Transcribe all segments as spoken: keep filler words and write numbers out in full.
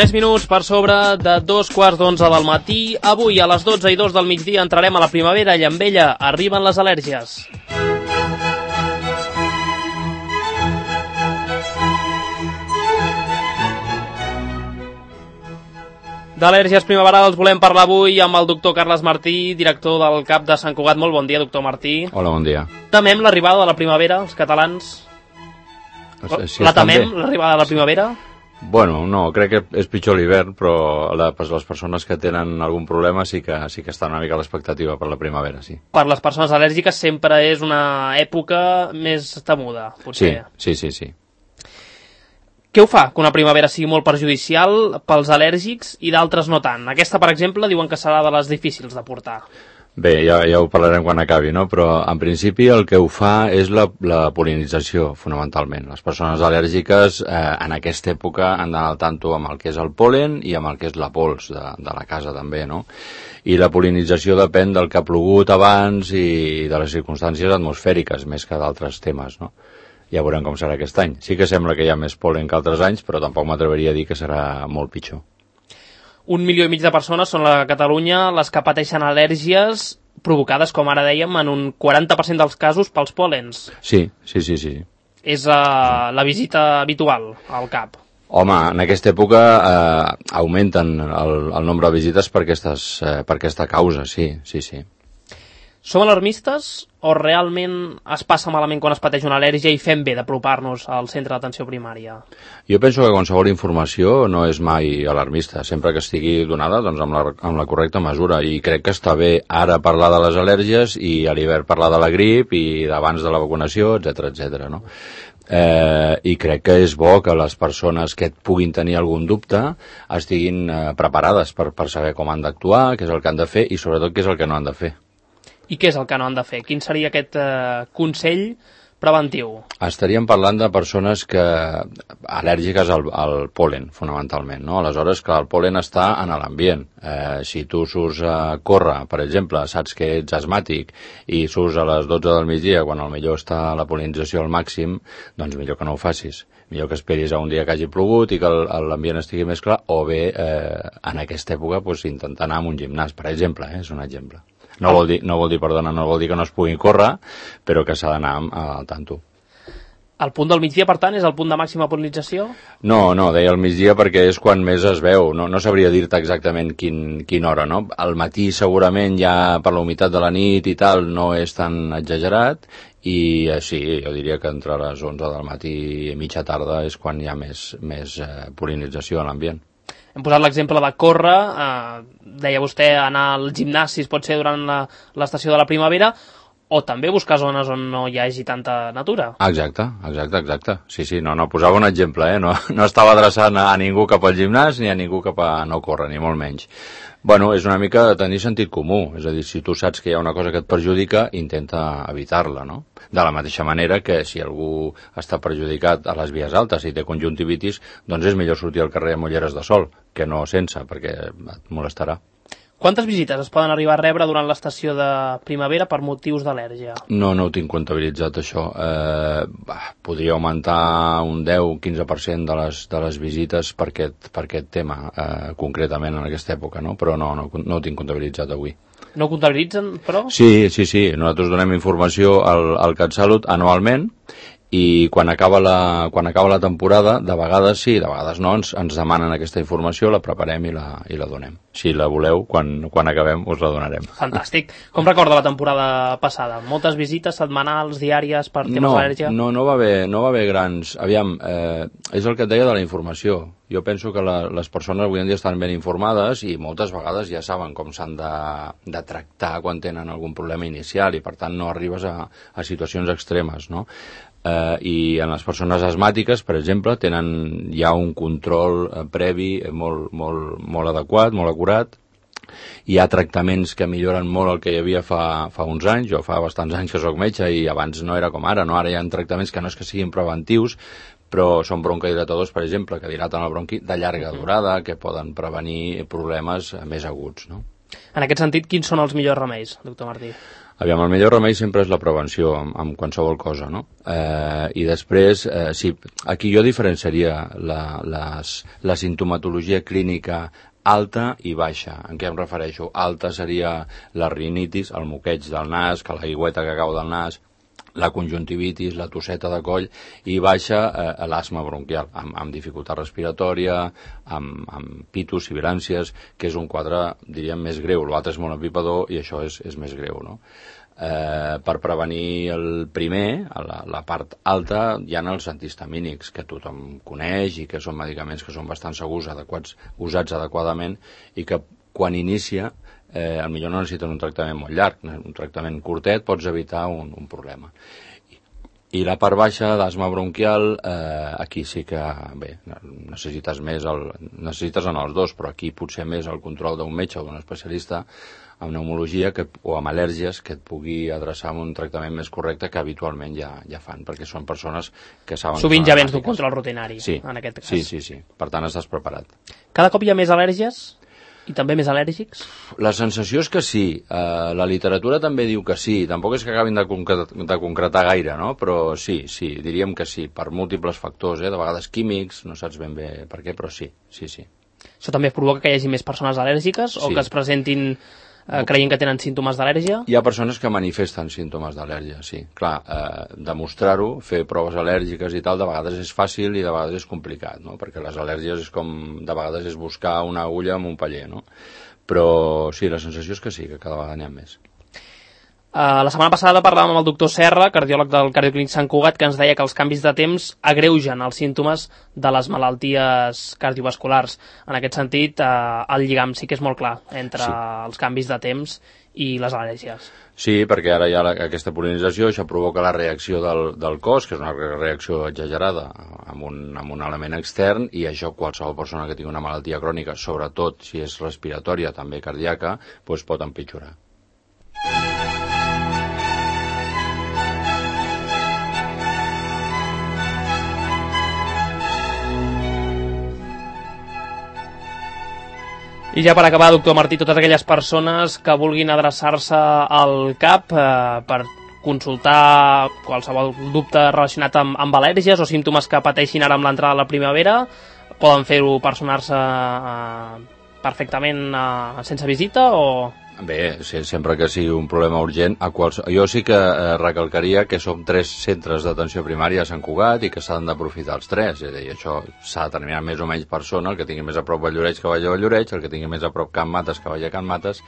tres minuts per sobre de dos quarts d'onze del matí. Avui a les dotze i dos del migdia entrarem a la primavera i amb ella arriben les al·lèrgies. D'al·lèrgies primaverals volem parlar avui amb el doctor Carles Martí, director del CAP de Sant Cugat. Molt bon dia, doctor Martí. Hola, bon dia. Temem l'arribada de la primavera, els catalans? Si la temem, l'arribada de la primavera? Bueno, no, crec que és pitjor l'hivern, però la, les persones que tenen algun problema sí que, sí que estan una mica a l'expectativa per la primavera, sí. Per les persones al·lèrgiques sempre és una època més temuda, potser. Sí, sí, sí, sí. Què ho fa que una primavera sigui molt perjudicial pels al·lèrgics i d'altres no tant? Aquesta, per exemple, diuen que serà de les difícils de portar. Bé, ja, ja ho parlarem quan acabi, no? Però en principi el que ho fa és la, la pol·linització, fonamentalment. Les persones al·lèrgiques eh, en aquesta època han d'anar al tanto amb el que és el pol·len i amb el que és la pols de, de la casa també, no? I la pol·linització depèn del que ha plogut abans i de les circumstàncies atmosfèriques, més que d'altres temes, no? Ja veurem com serà aquest any. Sí que sembla que hi ha més pol·len que altres anys, però tampoc m'atreveria a dir que serà molt pitjor. Un milió i mig de persones són a Catalunya les que pateixen al·lèrgies provocades, com ara dèiem, en un quaranta per cent dels casos pels pòlens. Sí, sí, sí, sí. És uh, la visita habitual al CAP. Home, en aquesta època eh, augmenten el, el nombre de visites per, aquestes, eh, per aquesta causa, sí, sí, sí. Som alarmistes o realment es passa malament quan es pateix una al·lèrgia i fem bé d'apropar-nos al centre d'atenció primària? Jo penso que qualsevol informació no és mai alarmista, sempre que estigui donada doncs, amb, la, amb la correcta mesura, i crec que està bé ara parlar de les al·lèrgies i a l'hivern parlar de la grip i d'abans de la vacunació, etcètera, etcètera, no? Eh, i crec que és bo que les persones que puguin tenir algun dubte estiguin eh, preparades per, per saber com han d'actuar, què és el que han de fer i sobretot què és el que no han de fer. I què és el que no han de fer? Quin seria aquest eh, consell preventiu? Estaríem parlant de persones que al·lèrgiques al, al pol·len, fonamentalment, no? Aleshores, que el pol·len està en l'ambient. Eh, si tu surts a córrer, per exemple, saps que ets asmàtic i surts a les dotze del migdia, quan al millor està la pol·linització al màxim, doncs millor que no ho facis. Millor que esperis a un dia que hagi plogut i que l'ambient estigui més clar, o bé, eh, en aquesta època, doncs, intentar anar a un gimnàs, per exemple, eh? És un exemple. No vol dir, no vol dir, perdona, no vol dir que no es pugui córrer, però que s'ha d'anar al tanto. El punt del migdia, per tant, és el punt de màxima pol·linització? No, no, deia el migdia perquè és quan més es veu. No, no sabria dir-te exactament quin, quina hora, no? Al matí segurament ja per la humitat de la nit i tal no és tan exagerat i eh, sí, jo diria que entre les onze del matí i mitja tarda és quan hi ha més, més eh, pol·linització a l'ambient. Hem posat l'exemple de córrer, eh, deia vostè anar al gimnàs si pot ser durant l'estació de la primavera, o també buscar zones on no hi hagi tanta natura. Exacte, exacte, exacte. Sí, sí, no, no, posava un exemple, eh? No, no estava adreçant a ningú cap al gimnàs ni a ningú cap a no córrer, ni molt menys. Bueno, és una mica tenir sentit comú, és a dir, si tu saps que hi ha una cosa que et perjudica, intenta evitar-la, no? De la mateixa manera que si algú està perjudicat a les vies altes i té conjuntivitis, doncs és millor sortir al carrer amb ulleres de sol, que no sense, perquè et molestarà. Quantes visites es poden arribar a rebre durant l'estació de primavera per motius d'al·lèrgia? No, no ho tinc comptabilitzat, això. Eh, bah, podria augmentar un deu a quinze per cent de les, de les visites per aquest, per aquest tema, eh, concretament en aquesta època, no? Però no, no, no ho tinc comptabilitzat avui. No ho comptabilitzen, però? Sí, sí, sí. Nosaltres donem informació al, al CatSalut anualment i quan acaba la, quan acaba la temporada, de vegades sí, de vegades no, ens, ens demanen aquesta informació, la preparem i la, i la donem. Si la voleu, quan, quan acabem us la donarem. Fantàstic. Com recorda la temporada passada? Moltes visites setmanals, diàries, per temes no, d'al·lèrgia? No, no va haver, no va haver grans... Aviam, eh, és el que et deia de la informació. Jo penso que la, les persones avui en dia estan ben informades i moltes vegades ja saben com s'han de, de tractar quan tenen algun problema inicial i per tant no arribes a, a situacions extremes, no? Eh, i en les persones asmàtiques, per exemple, tenen ja un control eh, previ molt, molt, molt adequat, molt acurat. Hi ha tractaments que milloren molt el que hi havia fa, fa uns anys. Jo fa bastants anys que soc metge i abans no era com ara, no? Ara hi ha tractaments que no és que siguin preventius, però són broncodilatadors, per exemple, que dilaten el bronqui de llarga durada, que poden prevenir problemes més aguts, no? En aquest sentit, quins són els millors remeis, doctor Martí? Aviam, el millor remei sempre és la prevenció amb, amb qualsevol cosa, no? Eh, I després, eh, sí, aquí jo diferenciaria la, les, la sintomatologia clínica alta i baixa. En què em refereixo? Alta seria la rinitis, el moqueig del nas, que la aigüeta que cau del nas, la conjuntivitis, la tosseta de coll, i baixa eh, l'asma bronquial, amb, amb dificultat respiratòria, amb, amb pitus, sibilàncies, que és un quadre, diríem, més greu. L'altre és molt empipador i això és, és més greu, no? Eh, per prevenir el primer, la, la part alta, hi ha els antihistamínics, que tothom coneix i que són medicaments que són bastant segurs, adequats, usats adequadament, i que quan inicia, eh, potser no necessiten un tractament molt llarg, un tractament curtet, pots evitar un, un problema. I, I la part baixa d'asma bronquial, eh, aquí sí que, bé, necessites més, el, necessites en els dos, però aquí potser més el control d'un metge o d'un especialista amb pneumologia que, o amb al·lèrgies que et pugui adreçar amb un tractament més correcte que habitualment ja, ja fan, perquè són persones que saben... Sovint ja vens d'un control rutinari, sí, en aquest cas. Sí, sí, sí. Per tant, estàs preparat. Cada cop hi ha més al·lèrgies? I també més al·lèrgics? La sensació és que sí. Uh, la literatura també diu que sí. Tampoc és que acabin de, concretar, de concretar gaire, no? Però sí, sí, diríem que sí, per múltiples factors, eh? De vegades químics, no saps ben bé per què, però sí, sí, sí. Això també provoca que hi hagi més persones al·lèrgiques sí. O que es presentin eh, creient que tenen símptomes d'al·lèrgia? Hi ha persones que manifesten símptomes d'al·lèrgia, sí. Clar, eh, demostrar-ho, fer proves al·lèrgiques i tal, de vegades és fàcil i de vegades és complicat, no? Perquè les al·lèrgies és com, de vegades és buscar una agulla amb un paller, no? Però sí, la sensació és que sí, que cada vegada n'hi ha més. Uh, la setmana passada parlàvem amb el doctor Serra, cardiòleg del Cardioclínic Sant Cugat, que ens deia que els canvis de temps agreugen els símptomes de les malalties cardiovasculars. En aquest sentit, uh, el lligam sí que és molt clar entre sí. els canvis de temps i les al·lèrgies. Sí, perquè ara hi ha la, aquesta polinització, això provoca la reacció del, del cos, que és una reacció exagerada amb un, amb un element extern, i això qualsevol persona que tingui una malaltia crònica, sobretot si és respiratòria, també cardíaca, doncs pot empitjorar. I ja per acabar, doctor Martí, totes aquelles persones que vulguin adreçar-se al C A P eh, per consultar qualsevol dubte relacionat amb, amb al·lèrgies o símptomes que pateixin ara amb l'entrada de la primavera, poden fer-ho personar-se eh, perfectament eh, sense visita o... Bé, sempre que sigui un problema urgent, a quals... jo sí que eh, recalcaria que som tres centres d'atenció primària a Sant Cugat i que s'han d'aprofitar els tres, és a dir, això s'ha de determinar més o menys persona, el que tingui més a prop Valldoreix que vagi a Valldoreix, el que tingui més a prop Can Mates que vagi a Can Mates,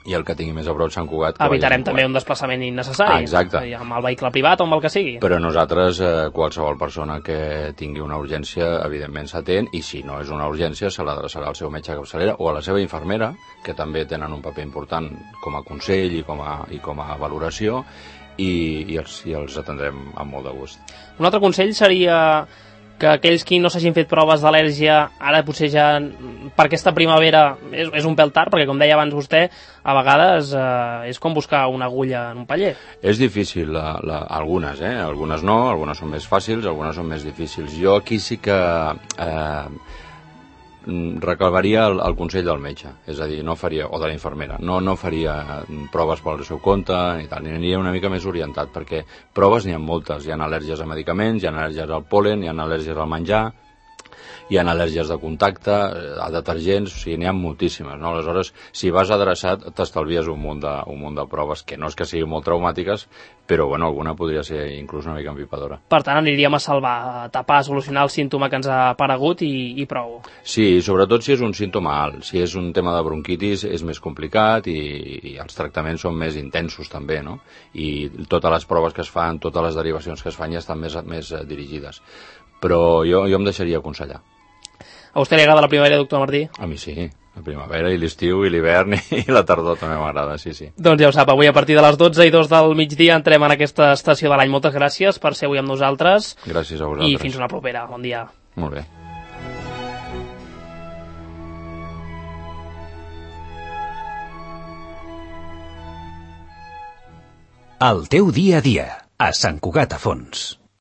i el que tingui més a prop Sant Cugat que evitarem vagi a Sant Cugat. També un desplaçament innecessari, ah, exacte. Amb el vehicle privat o amb el que sigui. Però nosaltres, eh, qualsevol persona que tingui una urgència, evidentment s'atén, i si no és una urgència, se l'adreçarà al seu metge de capçalera o a la seva infermera, que també tenen un paper important com a consell i com a, i com a valoració, i, i, els, i els atendrem amb molt de gust. Un altre consell seria que aquells qui no s'hagin fet proves d'al·lèrgia ara potser ja per aquesta primavera és, és un pèl tard, perquè com deia abans vostè, a vegades eh, és com buscar una agulla en un paller. És difícil, la, la, algunes, eh? Algunes no, algunes són més fàcils, algunes són més difícils. Jo aquí sí que eh, recalvaria el, el consell del metge, és a dir, no faria, o de la infermera, no, no faria proves pel seu compte i tal, ni aniria una mica més orientat, perquè proves n'hi ha moltes, hi ha al·lèrgies a medicaments, hi ha al·lèrgies al pol·len, hi ha al·lèrgies al menjar, hi ha al·lèrgies de contacte, a detergents, o sigui, n'hi ha moltíssimes, no? Aleshores, si vas adreçat, t'estalvies un munt de, un munt de proves, que no és que siguin molt traumàtiques, però, bueno, alguna podria ser inclús una mica empipadora. Per tant, aniríem a salvar, a tapar, a solucionar el símptoma que ens ha aparegut i, i prou. Sí, sobretot si és un símptoma alt. Si és un tema de bronquitis és més complicat i, i els tractaments són més intensos també, no? I totes les proves que es fan, totes les derivacions que es fan ja estan més, més dirigides. Però jo, jo em deixaria aconsellar. A vostè li agrada la primavera, doctor Martí? A mi sí, la primavera i l'estiu i l'hivern i la tardor també m'agrada, sí, sí. Doncs ja ho sap, avui a partir de les dotze i dos del migdia entrem en aquesta estació de l'any. Moltes gràcies per ser avui amb nosaltres. Gràcies a vosaltres. I fins una propera. Bon dia. Molt bé. El teu dia a dia, a Sant Cugat a Fons.